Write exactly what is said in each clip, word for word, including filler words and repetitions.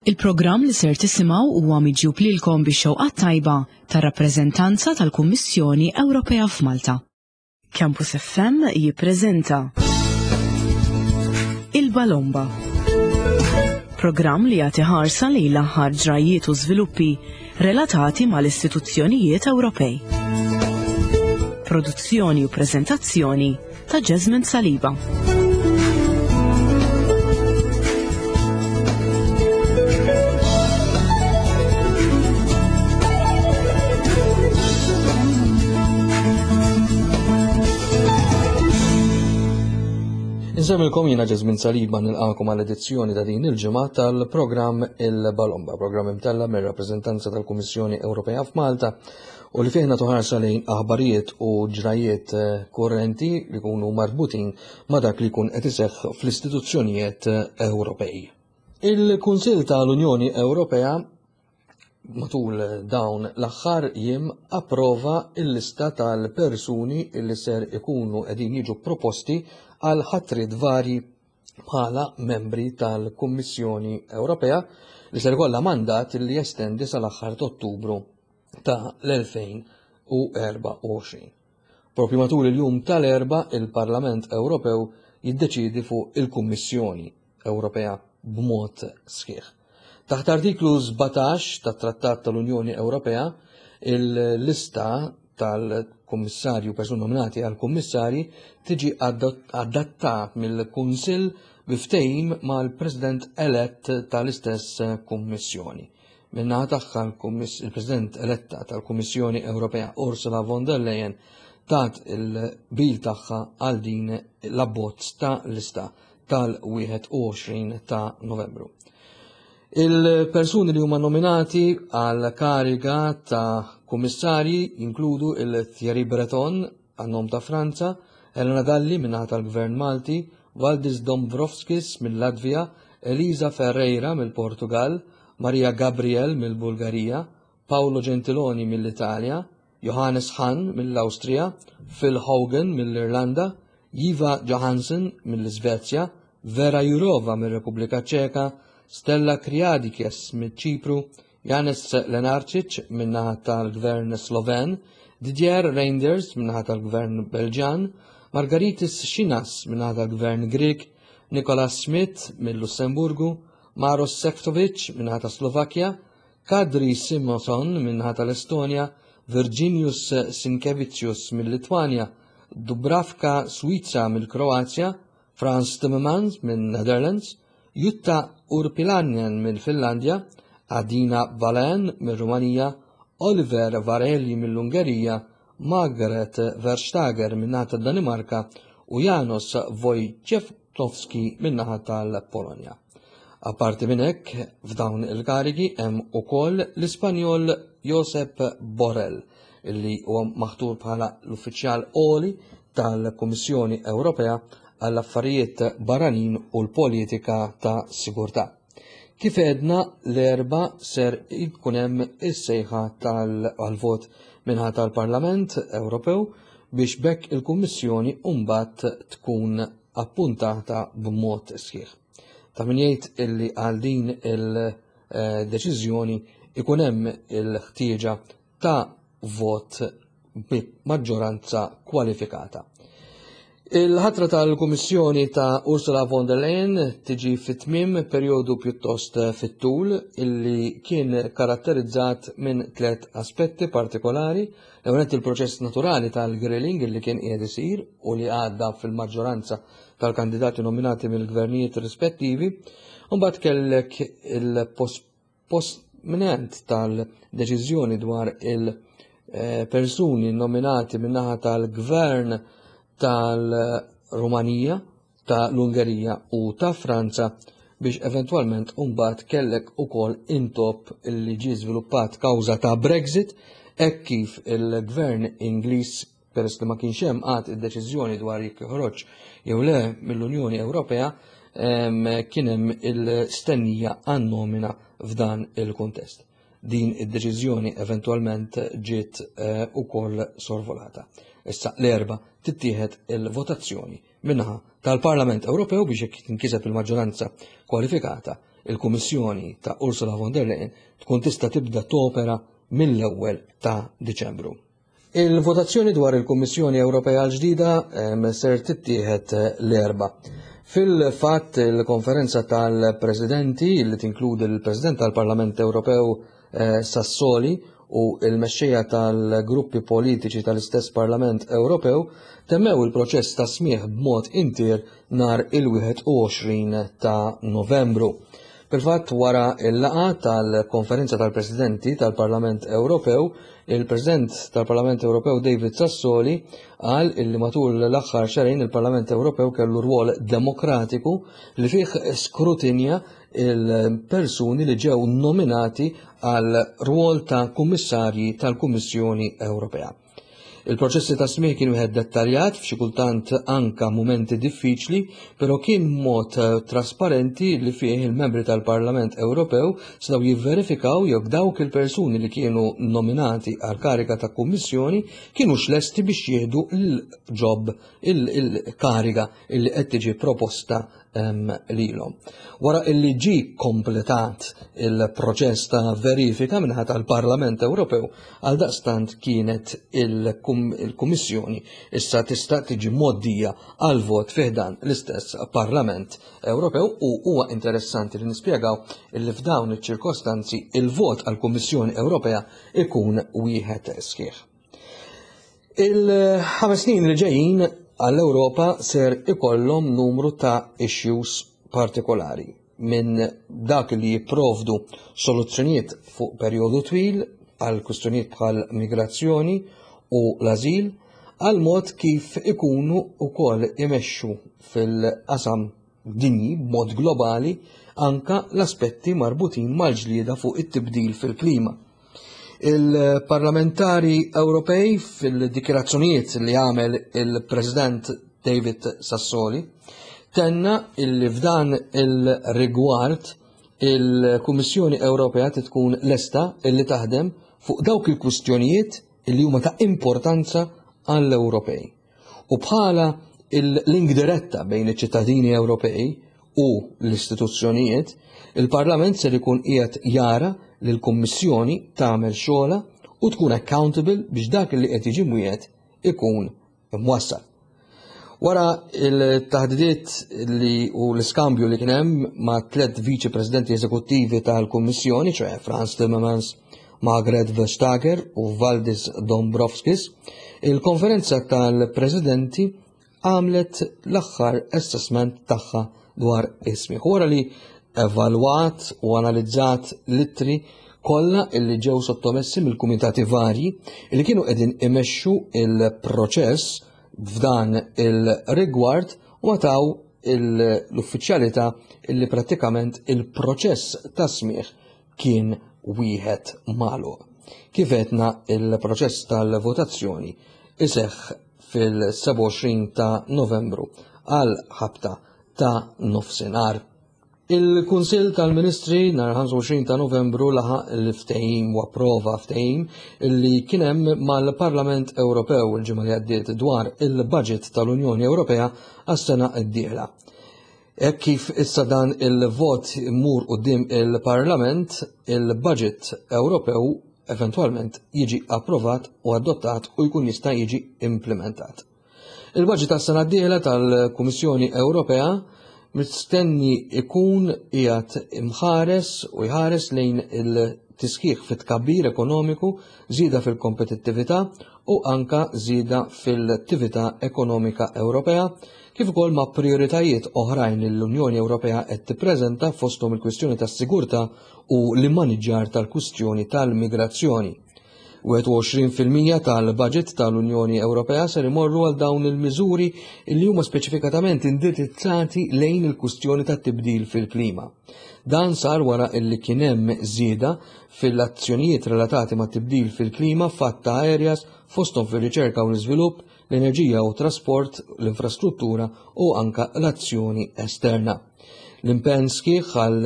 Il-programm li ser tisimgħu huwa miġjub lilkom bix-xewqa tajba tar-rappreżentanza tal-Kummissjoni Ewropea f'Malta. Campus F M jippreżenta Il-Balomba. Programm li jagħti ħarsa lejn l-aħħar ġrajiet u żviluppi relatati mal-istituzzjonijiet Ewropej. Produzzjoni u preżentazzjoni ta' Jasmine Saliba. Insemmilkom jiena Jasmine Saliba, nilqakom għal edizzjoni ta' din il-ġimgħa tal-programm Il-Balomba, programm imtella mir-rappreżentanza tal-Kummissjoni Ewropea f'Malta u li fih nagħtu ħarsa lejn aħbarijiet u ġrajiet eh, korrenti li jkunu marbutin ma' dak li jkun qed iseħħ fl-istituzzjonijiet eh, Ewropej. Il-Kunsill tal-Unjoni Ewropea matul dawn l-aħħar jiem approva il-lista tal-persuni li ser ikunu qegħdin jiġu proposti għal ħatrit vari bħala membri tal-Kummissjoni Ewropea li ser ikollha mandat li jestendi sal-aħħar ta' Ottubru ta' l-elfejn u erbgħa u għoxrin. Propju matul il-jum tal-Erbgħa il-Parlament Ewropew jiddeċidi fuq il-Kummissjoni Ewropea b'mod sħiħ. Taħt artiklu sbatax tat-Trattat tal-Unjoni Ewropea, il-lista tal-kummissarju, persuni nominati għal kummissarji, tiġi adattat mill-Kunsill bi ftehim mal-President elett tal-istess kummissjoni. Min-naħa tagħha, il-President eletta tal-Kummissjoni Ewropea Ursula von der Leyen tat il-qbil tagħha għal din l-abbozz ta' lista tal-wieħed u għoxrin ta' Novembru. Il-persuni li huma nominati għal kariga ta' kummissarji jinkludu il-Thierry Breton għan-nom ta' Franza, Helena Dalli min-naħa tal-Gvern Malti, Valdis Dombrovskis mill-Latvija, Elisa Ferreira mill-Portugal, Maria Gabriel mill-Bulgarija, Paolo Gentiloni mill-Italja, Johannes Hahn mill-Awstrija, Phil Hogan mill-Irlanda, Ylva Johansson mill-Svezja, Vera Jurova mill-Repubblika Ċeka, Stella Kyriakides mill-Ċipru, Janez Lenarčič min-naħa tal-Gvern Sloven, Didier Reynders min-naħa tal-Gvern Belġan, Margaritis Schinas min-naħa tal-Gvern Grek, Nicolas Schmit mill-Lussemburgu, Maros Sefcovic min-naħa ta' Slovakkja, Kadri Simson min-naħa tal-Estonja, Virginius Sinkevicius mill-Litwanja, Dubravka Suica mill-Kroazja, Frans Timmermans minn Netherlands, Jutta Urpilainen mill-Finlandja, Adina Vălean mill-Rumanija, Oliver Varhelyi mill-Ungerija, Margaret Verstager min-naħa tad-Danimarka u Janusz Wojciechowski min-naħa tal-Polonja. Apparti minn hekk, f'dawn il-karigi hemm ukoll l-Ispanjol Josep Borrell, illi huwa maħtur bħala l-uffiċjal għoli tal-Kummissjoni Ewropea għall-affarijiet barranin u l-politika ta' sigurtà. Kif għedna, l-Erbgħa ser jkun hemm is-sejħa tal-vot min-naħa tal-Parlament Ewropew biex b'hekk il-Kummissjoni mbagħad tkun appuntata b'mod sħiħ. Ta' min jgħid illi għal din il-deċiżjoni ikun hemm il-ħtieġa ta' vot maġġoranza kwalifikata. Il-ħatra tal-Kummissjoni ta' Ursula von der Leyen tiġi fit-tmiem perjodu pjuttost fit-tul illi kien karatterizzat minn tliet aspetti partikolari. L-ewwel, il-proċess naturali tal-grilling illi kien qiegħed isir u li għadda fil-maġġoranza tal-kandidati nominati mill-gvernijiet rispettivi. Mbagħad kellek il-posponiment tal-deċiżjoni dwar il-persuni nominati min-naħa tal-gvern tal-Rumanija, ta' l-Ungerija u ta' Franza biex eventwalment mbagħad kellek ukoll intop illi ġie żviluppat kawża ta' Brexit, hekk kif il-gvern Ingliż, peress li ma kienx hemm għad id-deċiżjoni dwar jekk joħroġ jew le mill-Unjoni Ewropea, kien hemm il-stennija għan-nomina f'dan il-kuntest. Din id-deċiżjoni eventwalment ġiet eh, ukoll sorvolata. Issa l-Erbgħa tittieħed il-votazzjoni min-naħa tal-Parlament Ewropew biex jekk tinkiseb il-maġġoranza kwalifikata. il-Kummissjoni ta' Ursula von der Leyen tkun tista' tibda topera mill-ewwel ta' Diċembru. Il-votazzjoni dwar il-Kummissjoni Ewropea l-ġdida ser tittieħed l-Erbgħa. Fil-fatt, il-konferenza tal-Presidenti, li tinkludi l-President tal-Parlament Ewropew eh, Sassoli u il-mexxejja tal-gruppi politiċi tal-istess Parlament Ewropew, temmew il-proċess ta' smieħ b'mod intier nhar il-wieħed u għoxrin ta' Novembru. Fil-fatt, wara il-laqgħa tal-konferenza tal-Presidenti tal-Parlament Ewropew, il-President tal-Parlament Ewropew David Sassoli qal illi matul l-aħħar xahrejn il-Parlament Ewropew kellu rwol demokratiku li fih skrutinja il-persuni li ġew nominati għal rwol ta' kummissarji tal-Kummissjoni Ewropea. Il-proċessi ta' smieħ kienu wieħed dettaljat, f'xi kultant anka mumenti diffiċli, però kien mod eh, trasparenti li fih il-membri tal-Parlament Ewropew setgħu jivverifikaw jekk dawk il-persuni li kienu nominati għal kariga ta' kummissjoni kienu lesti biex jieħdu il-job, il-kariga illi qed tiġi proposta lilhom. Wara illi ġi kompletat il-proċess ta' verifika min-naħa tal-Parlament Ewropew, għal daqstant kienet il-Kummissjoni issa tista' tiġi mgħoddija għal vot fi ħdan l-istess Parlament Ewropew, u huwa interessanti li nispjegaw illi f'dawn iċ-ċirkostanzi il-vot għal Kummissjoni Ewropea ikun wieħed sħiħ. Il-ħames snin li ġejjin għall-Ewropa ser ikollhom numru ta' issues partikolari, minn dak li jipprovdu soluzzjonijiet fuq perjodu twil għal kwistjonijiet bħal migrazzjoni u l-azil, għal mod kif ikunu wkoll imexxu fil-qasam dinji b'mod globali, anka l-aspetti marbutin mal-ġlieda fuq it-tibdil fil-klima. Il-parlamentari Ewropej, fil-dikjarazzjonijiet li għamel il-President David Sassoli, tenna illi f'dan il-rigward il-Kummissjoni Ewropea tkun lesta illi taħdem fuq dawk il-kwistjonijiet illi huma ta' importanza għall-Ewropej. U bħala il-link diretta bejn iċ-ċittadini Ewropej u l-istituzzjonijiet, il-Parlament ser ikun qiegħed jara li l-Kummissjoni tagħmel xogħla u tkun accountable biex dak li qed jiġi mwiegħed ikun imwassal. Wara il-taħdidiet li u l-iskambju li kien hemm ma' tliet viċi presidenti eżekuttivi tal-Kummissjoni, ċoè Frans Timmermans, Margaret Vestager u Valdis Dombrovskis, il-konferenza tal-presidenti għamlet l-aħħar assessment tagħha dwar is-smigħ. Wara li evalwat u analizzat l-ittri kollha illi ġew sottomessi mill-kumitati varji illi kienu qegħdin imexxu il-proċess f'dan il-rigward, u taw l-uffiċjalità illi prattikament il-proċess ta' smigħ kien wieħed magħluq. Kif għedna, il-proċess tal-votazzjoni iseħħ fil-sebgħa u għoxrin ta' Novembru għal ħabta ta' nofsinhar. Il-Kunsill tal-Ministri nhar ħamsa u għoxrin ta' Novembru laħaq il-ftehim u approva ftehim li kien hemm mal-Parlament Ewropew il-ġimgħa li għaddiet dwar il-budget tal-Unjoni Ewropea għas-sena d-dieħla. Hekk kif issa dan il-vot imur quddiem il-Parlament, il-budget Ewropew eventwalment jiġi approvat u adottat u jkun jista' jiġi implementat. Il-budget tas-sena d-dieħla tal-Kummissjoni Ewropea mistenni ikun qiegħed imħares u jħares lejn il-tisħiħ fit-tkabbir ekonomiku, żieda fil-kompetittività u anka żieda fil-attività ekonomika Ewropea, kif ukoll ma' prioritajiet oħrajn li l-Unjoni Ewropea qed tippreżenta, fosthom il-kwistjoni tas-sigurtà u l-immaniġġar tal-kwistjoni tal-migrazzjoni. wieħed u għoxrin fil-mija tal-budget tal-Unjoni Ewropea ser imorru għal dawn il-miżuri li huma speċifikatament indirizzati lejn il-kwistjoni tat-tibdil fil-klima. Dan sar wara illi kien hemm żieda fil-azzjonijiet relatati ma' tibdil fil-klima f'għadd ta' areas, fosthom fir-riċerka u l-iżvilupp, l-enerġija u trasport, l-infrastruttura u anka l-azzjoni esterna. L-impenn sħiħ għal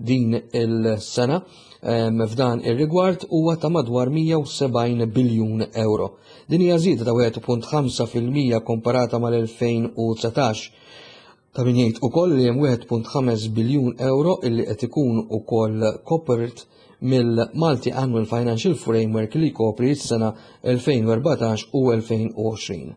din il-sena f'dan ir-rigward huwa ta' madwar mija u sebgħin biljun euro. Din hija żieda ta' wieħed punt ħamsa fil-mija komparata mal-elfejn u dsatax. Ta' min jgħid ukoll li hemm wieħed punt ħames biljun euro illi qed ikun ukoll kopert mill-Multi Annual Financial Framework li jkopri s-sena elfejn u erbatax u elfejn u għoxrin.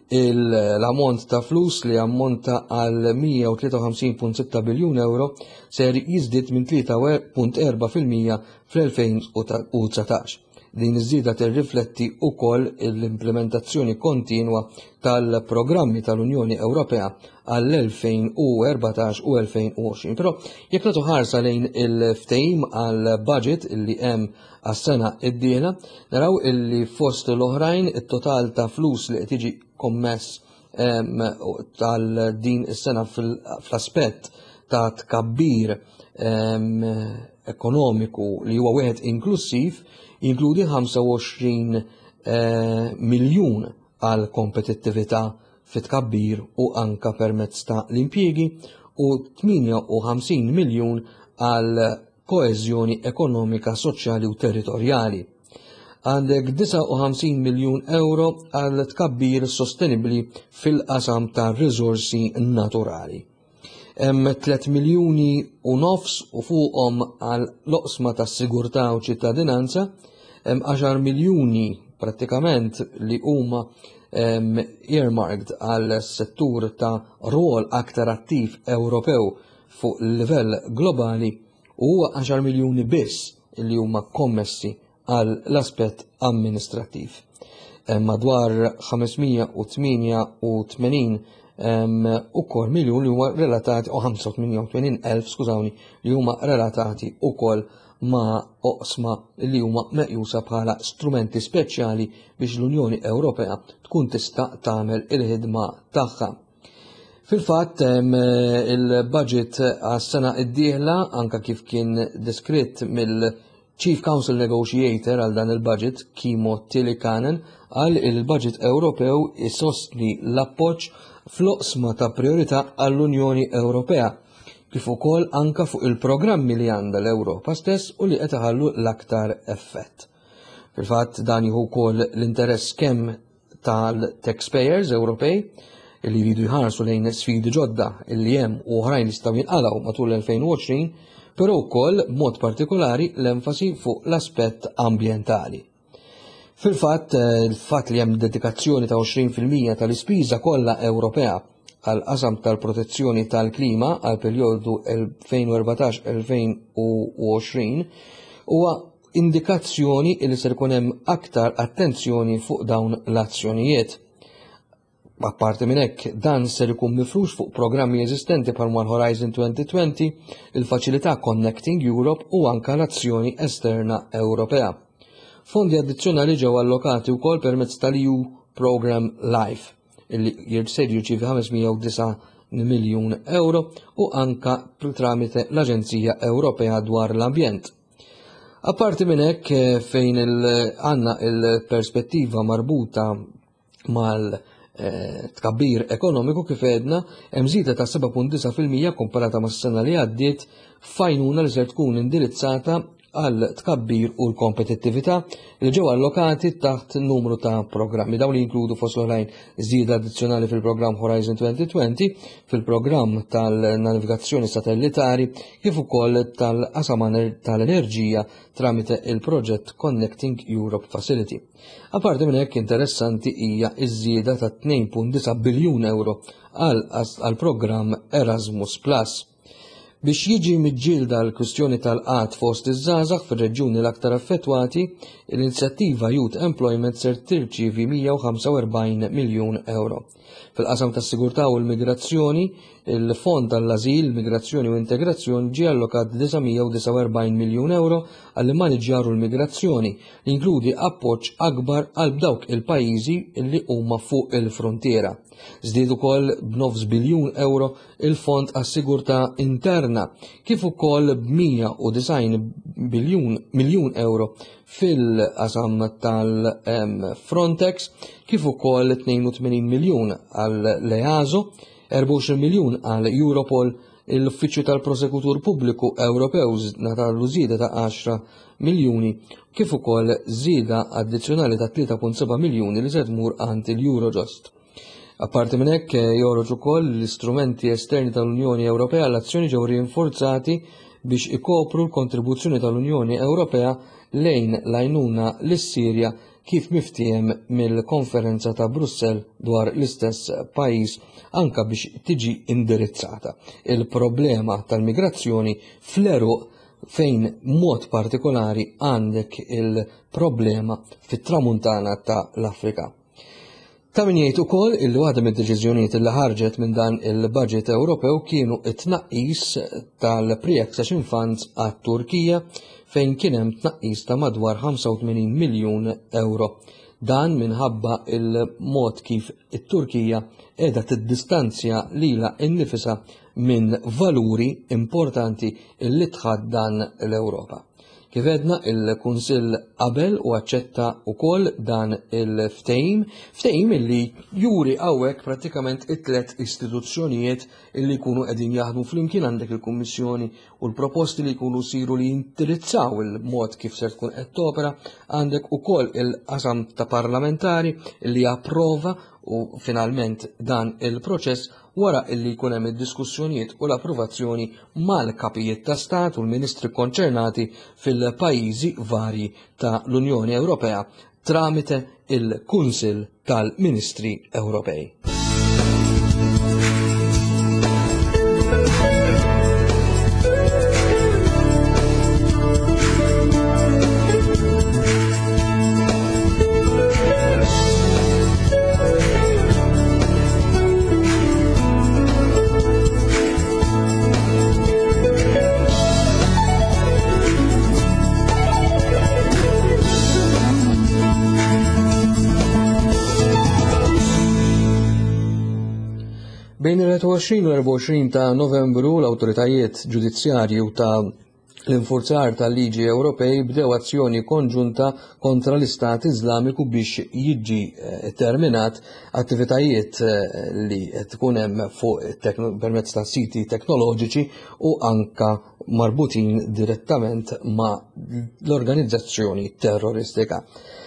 L-ammont ta' flus li ammonta għal mija u tlieta u ħamsin punt sitta biljun euro ser jiżdied minn tlieta punt erba' fil-mija fl-elfejn u dsatax. Din iż-żieda tirrifletti wkoll l-implementazzjoni kontinwa tal-programmi tal-Unjoni Ewropea għall-elfejn u erbatax u elfejn u għoxrin. Però jekk nagħtu ħarsa lejn il-ftehim għall-budget li hemm għas-sena d-dieħla, naraw illi fost l-oħrajn it-total ta' flus li qed jiġi kommess, em, tal-din is-sena fil-, fl-aspett ta' tkabbir, em, ekonomiku li huwa wieħed inklusiv jinkludi ħamsa u għoxrin, eh, miljun għal kompetittività fit-tkabbir u anka permezz ta' l-impjiegi u tmienja u ħamsin miljun għal koeżjoni ekonomika, soċjali u territorjali. Għandek disgħa u ħamsin miljun euro għal tkabbir sostenibli fil-qasam ta' riżorsi naturali. Hemm tliet miljuni u nofs u fuqhom għal loqsma ta' sigurtà u ċittadinanza, hemm għaxar miljuni prattikament li huma, em, earmarked għal settur ta' rwol aktar attiv Ewropew fuq livell globali u huwa għaxar miljuni biss li huma kommessi għal l-aspett amministrattiv. Hemm madwar ħamesmija u tmienja u tmenin, em, ukoll miljun li huma relatati, u ħamsa u tmienja u tmenin elf, skużawni, li huma relatati ukoll ma' oqsma li huma meqjusa bħala strumenti speċjali biex l-Unjoni Ewropea tkun tista' tagħmel il-ħidma tagħha. Fil-fatt, em, il-budget għas-sena d-dieħla, anka kif kien deskritt mill-Chief Council Negotiator għal dan il-budget, Kimmo Tiilikainen, għal il-budget Ewropew isostni l-appoġġ fl-oqsma ta' priorità għall-Unjoni Ewropea, kif ukoll anka fuq il-programmi li għandha l-Ewropa stess u li qed iħallu l-aktar effett. Fil-fatt dan jieħu wkoll l-interess kemm tal-taxpayers Ewropej li jridu jħarsu lejn sfidi ġodda li hemm u oħrajn li jistgħu jinqalgħu matul l-elfejn u għoxrin, però wkoll b'mod partikolari l-enfasi fuq l-aspett ambjentali. Fil-fatt, il-fatt li hemm dedikazzjoni ta' għoxrin fil-mija tal-ispiża kollha Ewropea għal qasam tal-protezzjoni tal-klima għal perjodu elfejn u erbatax elfejn u għoxrin huwa indikazzjoni li ser ikun hemm aktar attenzjoni fuq dawn l-azzjonijiet. Apparti minn hekk, dan ser ikun mifrux fuq programmi eżistenti bħal mal Horizon twenty twenty, il-faċilità Connecting Europe u anka l-azzjoni esterna Ewropea. Fondi addizzjonali ġew allokati wkoll permezz tal-E U Program Life, illi ser jirċievi ħames mija u disa' miljun euro u anka tramite l-Aġenzija Ewropea dwar l-Ambjent. Apparti minn hekk, fejn il-, għandna il-perspettiva marbuta mal, eh, tkabbir ekonomiku kif għedna, hemm żieda ta' seba' punt disa' fil-mija komparata mas-sena li għaddiet f'għajnuna li ser tkun indirizzata għal tkabbir u l-kompetittività li ġew allokati taħt numru ta' programmi. Dawn li jinkludu fost l-oħrajn żieda addizzjonali fil-programm Horizon twenty twenty, fil-programm tal-navigazzjoni satellitari, kif ukoll tal-qasam tal-enerġija tramite il-proġett Connecting Europe Facility. Apparti minn hekk interessanti hija ż-żieda ta' tnejn punt disa' biljun euro għal programm Erasmus Plus. Biex jiġi miġġielda l-kwistjoni tal-qgħad fost iż-żgħażagħ fir-reġjuni l-aktar affettwati, l-inizjattiva Youth Employment ser tirċievi mija u ħamsa u erbgħin miljun euro. Fil-qasam tas-sigurtà u l-migrazzjoni, il-Fond tal-Ażil, Migrazzjoni u Integrazzjoni ġie allokat disa' mija u disa' u erbgħin miljun euro għall-immaniġġjar u l-migrazzjoni, li jinkludi appoġġ akbar għal dawk il-pajjiżi li huma fuq il-frontiera. Żdied ukoll b'nofs biljun euro il-Fond għas-Sigurtà Interna, kif ukoll b'mija u disgħin biljun, miljun euro fil-qasam tal-Frontex, kif ukoll tnejn u tmenin miljun għall-EASO, erbgħa u għoxrin miljun għal Europol, l-Uffiċċju tal-Prosekutur Pubbliku Ewropew ngħatalu żieda ta' għaxra miljuni, kif ukoll żieda addizzjonali ta' tlieta punt seba' miljuni li se tmur għand il-Eurojust. Apparti minn hekk joħroġ ukoll l-istrumenti esterni tal-Unjoni Ewropea l-azzjoni ġew rinforzati biex ikopru l-kontribuzzjoni tal-Unjoni Ewropea lejn l-għajnuna lis-Sirja kif miftiehem mill-konferenza ta' Brussell dwar l-istess pajjiż anka biex tiġi indirizzata il-problema tal-migrazzjoni fl-għeruq fejn mod partikolari għandek il-problema fit-tramuntana ta' l-Afrika. Ta' min jgħid ukoll illi waħda mid-deċiżjonijiet li ħarġet minn dan il-budget Ewropew kienu it-tnaqqis tal-pre-accession funds għat-Turkija fejn kien hemm tnaqqis ta' madwar ħamsa u tmenin miljun euro. Dan minħabba il-mod kif it-Turkija qiegħda tiddistanzja lilha nnifisha minn valuri importanti li tħaddan l-Ewropa. Kif għedna, il-Kunsill qabel u aċċetta wkoll dan il-ftehim, ftehim illi juri hawnhekk prattikament it-tlet istituzzjonijiet illi jkunu qegħdin jaħdmu flimkien. Għandek il-Kummissjoni u l-proposti li jkunu siru li jindirizzaw il-mod kif ser tkun qed topera, għandek ukoll il-qasam ta' parlamentari li japprova u finalment dan il-proċess wara illi jkun hemm id-diskussjonijiet u l-approvazzjoni mal-kapijiet ta' stat u l-ministri konċernati fil-pajjiżi varji ta' l-Unjoni Ewropea tramite il-Kunsill tal-Ministri Ewropej. Bejn il-wieħed u għoxrin u l-erbgħa u għoxrin ta' Novembru l-awtoritajiet ġudizzjarji u ta' l-infurzar tal-liġi Ewropej bdew azzjoni konġunta kontra l-Istat Iżlamiku biex jiġi terminat attivitajiet li tkun hemm fuq permezz ta' siti teknoloġiċi u anka marbutin direttament ma' l-organizzazzjoni terroristika.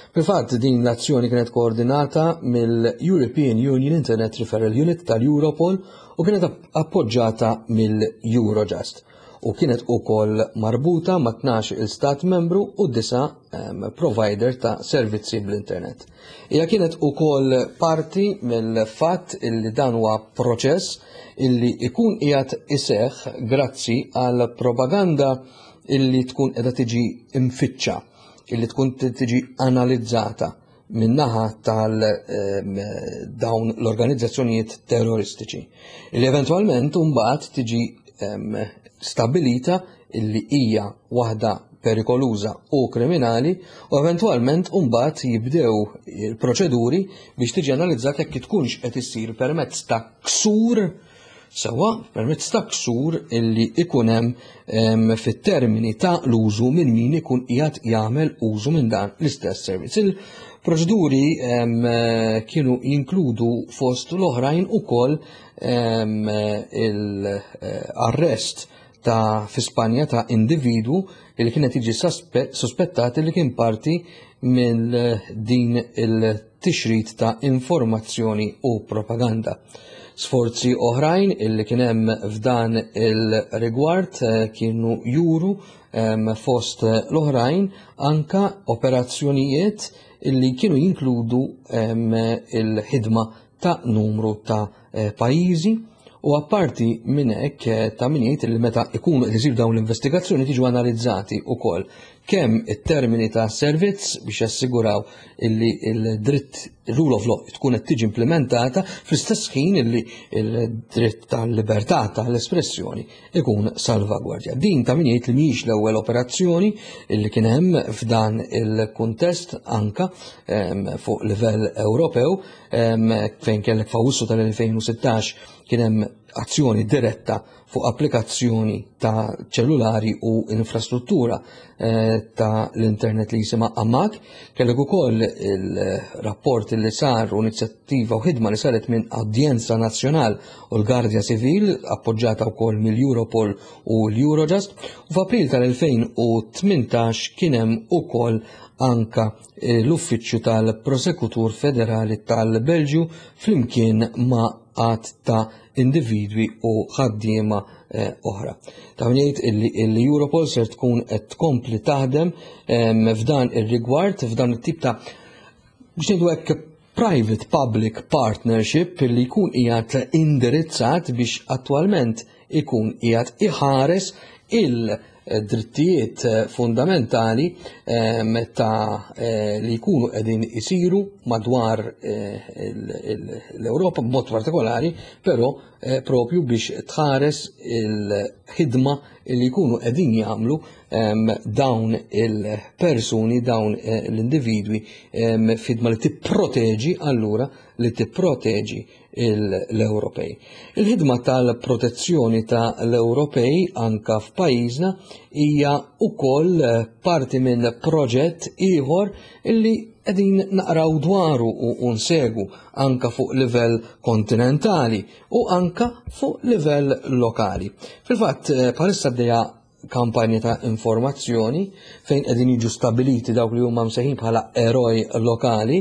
Fil-fatt din l-azzjoni kienet koordinata mill-European Union Internet Referral Unit tal-Europol u kienet appoġġata mill-Eurojust u kienet ukoll marbuta ma' tnax il-stat membru u disa provider ta' servizzi bl-internet. Hija kienet ukoll parti mill-fatt illi dan huwa proċess illi ikun qiegħed iseħħ grazzi għal propaganda illi tkun qiegħda tiġi imfittxa, illi tkun tiġi analizzata min-naħa tal-dawn l-organizzazzjonijiet terroristiċi, illi eventwalment imbagħad tiġi stabilita illi hija waħda perikoluża u kriminali u eventwalment imbagħad jibdew il-proċeduri biex tiġi analizzata jekk tkunx qed issir permezz ta' ksur sewwa permezz ta' ksur illi ikun hemm fit-termini ta' l-użu minn min ikun qiegħed jagħmel użu minn dan l-istess servizz. Il-proċeduri kienu jinkludu fost l-oħrajn ukoll l-arrest ta' fi Spanja ta' individwu li kienet jiġi sospettat li kien parti minn din il-tixrid ta' informazzjoni u propaganda. Sforzi oħrajn illi kien hemm f'dan il-rigward kienu juru fost l-oħrajn anka operazzjonijiet illi kienu jinkludu il-ħidma ta' numru ta' pajjiżi u apparti minn hekk ta' min jgħid li meta ikunu qed isiru dawn l-investigazzjoni tiġu analizzati wkoll kemm it-termini ta' servizz biex jassiguraw illi il-dritt rule of law tkun qed tiġi implementata fl-istess ħin illi il-dritt tal-libertà tal-espressjoni ikun salvagwardja. Din ta' min jgħid li mhijiex l-ewwel operazzjoni illi kien hemm f'dan il-kuntest anka fuq livell Ewropew fejn kellek f'Awwissu tal-elfejn u sittax kien hemm azzjoni diretta fuq applikazzjoni ta' ċellulari u infrastruttura eh, ta' l-internet li jisimha Amak. Kellek ukoll il-rapport li sar u inizjattiva u ħidma li saret minn Audjenza Nazzjonal u l-Gardja Civil, appoġġata wkoll mill-Europol u l-Eurojust. U f'April tal-elfejn u tmintax kien hemm ukoll anka eh, l-Uffiċċju tal-Prosekutur Federali tal-Belġju flimkien ma' għadd ta' individwi u ħaddiema eh, oħra. Ta' jgħid illi l-Europol ser tkun qed tkompli taħdem f'dan ir-rigward, f'dan it-tip ta', biex ngħidu hekk, private public partnership li jkun qiegħed indirizzat biex attwalment ikun qiegħed iħares il- drittijiet fundamentali ta' eh, li jkunu qegħdin isiru madwar eh, l-Ewropa b'mod partikolari, però eh, propju biex tħares il-ħidma li jkunu qegħdin jagħmlu dawn il-persuni, dawn l-individwi, f'ħidma li tipproteġi, allura li tipproteġi l-Ewropej. Il-ħidma tal-protezzjoni ta' l-Ewropej anka f'pajjiżna hija wkoll parti minn proġett ieħor illi qegħdin naqraw dwaru u nsegu anka fuq livell kontinentali u anka fuq livell lokali. Fil-fatt, bħalissa għaddejja kampanja ta' informazzjoni fejn qegħdin jiġu stabiliti dawk li huma msejħin bħala eroj lokali,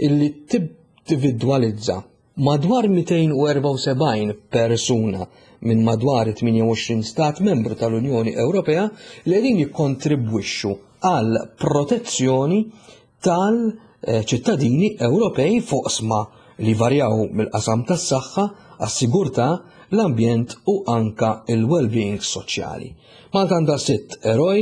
illi tindividwalizza madwar mitejn u erbgħa u sebgħin persuna minn madwar tmienja u għoxrin stat membru tal-Unjoni Ewropea li qegħdin jikkontribwixxu għal protezzjoni tal-ċittadini Ewropej fuq oqsma li varjaw mill-qasam tas-saħħa, għas-sigurtà, l-ambjent u anka il-well-being soċjali. Malta għandha sitt eroj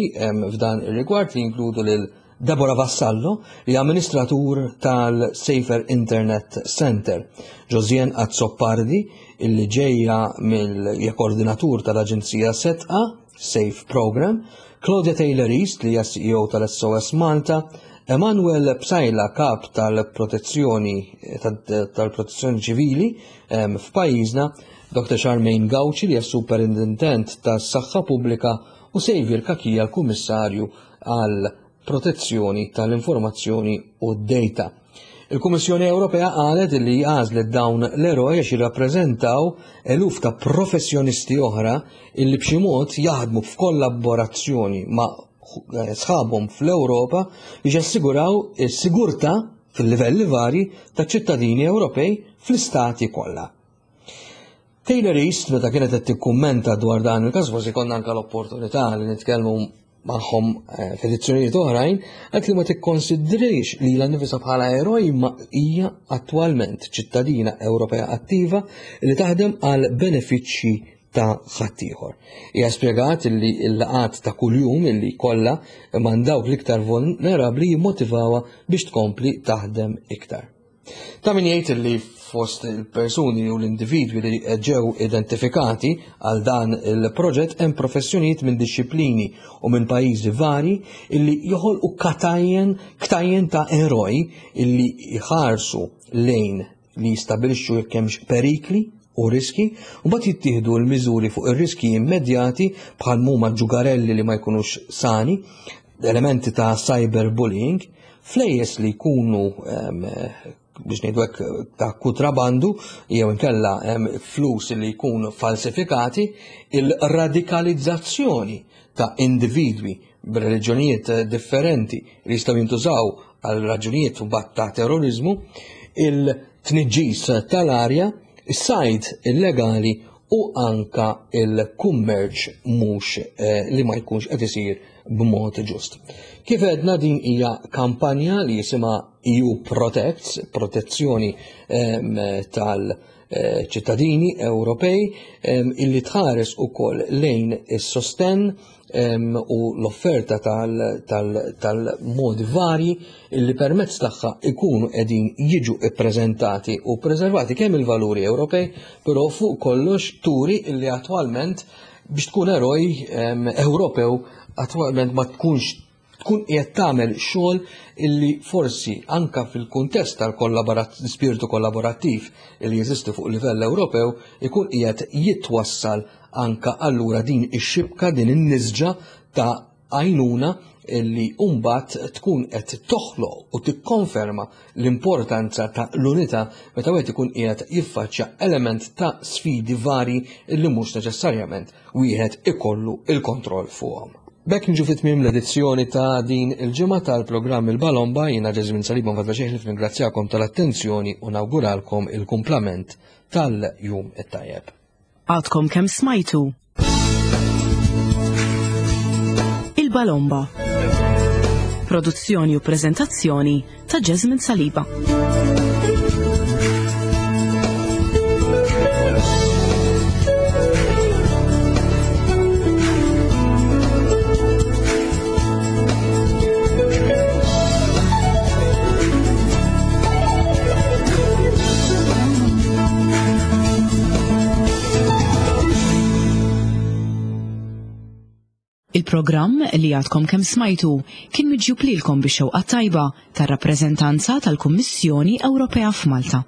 f'dan ir-rigward, li jinkludu lil Deborah Vassallo, li amministratur tal-Safer Internet Center, Josiane Azzopardi, illi ġejja mill-koordinatur tal-Aġenzija Sedqa Safe Program, Claudia Taylor East, li hija C E O tal-S O S Malta, Emanuel Psaila, kap tal-protezzjoni tal-protezzjoni ċivili f'pajjiżna, Doctor Charmaine Gauci, li hija superintendent tas-saħħa pubblika, u Xavier Cachia, l-kummissarju għal protezzjoni tal-informazzjoni u d-data. Il-Kummissjoni Ewropea qalet li għażlet dawn l-eroj għax jirrappreżentaw eluf ta' professjonisti oħra illi b'xi mod jaħdmu f'kollaborazzjoni ma' sħabhom fl-Ewropa biex jassiguraw is-sigurtà fil-livelli vari ta' ċittadini Ewropej fl-istati kollha. Taylor East, meta kienet qed tikkummenta dwar dan il-każ, forsi konna anke l-opportunità li nitkellmu magħhom eh, f'edizzjonijiet oħrajn, għedt li ma tikkonsidrix li lilha nnifisha bħala eroj, ma hija attwalment ċittadina Ewropea attiva li taħdem għal benefiċċji ta' ħaddieħor. Hija spjegat li l-laqat ta' kuljum illi kollha ma' dawk l-iktar vulnerabbli jimmotivawha biex tkompli taħdem iktar. Ta' min jgħid li fost il-persuni u l-individwi li ġew identifikati għal dan il-proġett hemm professjonijiet minn disċiplini u minn pajjiżi vari illi joħolqu katajjen ktajjen ta' eroj illi jħarsu lejn li jistabilixxu jekk hemmx perikli u riski, u mbagħad jittieħdu l-miżuri fuq ir-riski immedjati, bħal huma ġugarelli li ma jkunux sani, elementi ta' cyberbullying, flejjes li jkunu, biex ngħidu hekk, ta' kutrabandu jew inkella flus li jkunu falsifikati, il-radikalizzazzjoni ta' individwi b'reliġjonijiet differenti li jistgħu jintużaw għal raġunijiet u ta' terrorizmu, il-tniġġis tal-arja, is-sajd illegali u anka il-kummerċ mhux eh, li ma jkunx qed isir b'mod ġust. Kif għedna, din hija kampanja li jisimha E U Protects, protezzjoni tal- ċittadini Ewropej, illi tħares ukoll lejn is-sostenn u l-offerta tal-modi varji illi permezz tagħha ikunu qegħdin jiġu ippreżentati u preservati kemm il-valuri Ewropej, però fuq kollox turi illi attwalment biex tkun eroj Ewropew attwalment ma tkunx tkun qiegħed tagħmel xogħol illi forsi anka fil-kuntest tal-spiritu kollaborattiv illi jeżisti fuq livell Ewropew ikun qiegħed jitwassal anka allura din ix-xibka, din in-nisġa ta' għajnuna illi mbagħad tkun qed toħloq u tikkonferma l-importanza ta' l-unità meta wieħed ikun qiegħed jiffaċċja element ta' sfidi vari illi mhux neċessarjament wieħed ikollu il-kontroll fuqhom. B'hekk niġu fi tmiem l-edizzjoni ta' din il-ġimgħa tal-programm Il-Balomba. Jiena Ġeżmin Saliba nfadla xejn ringrazzjakom tal-attenzjoni u nawguralkom il-kumplament tal-jum it-tajjeb. Għadkom kemm smajtu Il-Balomba. Produzzjoni u preżentazzjoni ta' Jasmine Saliba. Il-programm li għadkom kemm smajtu kien miġjub lilkom bix-xewqa tajba tar-rappreżentanza tal-Kummissjoni Ewropea f'Malta.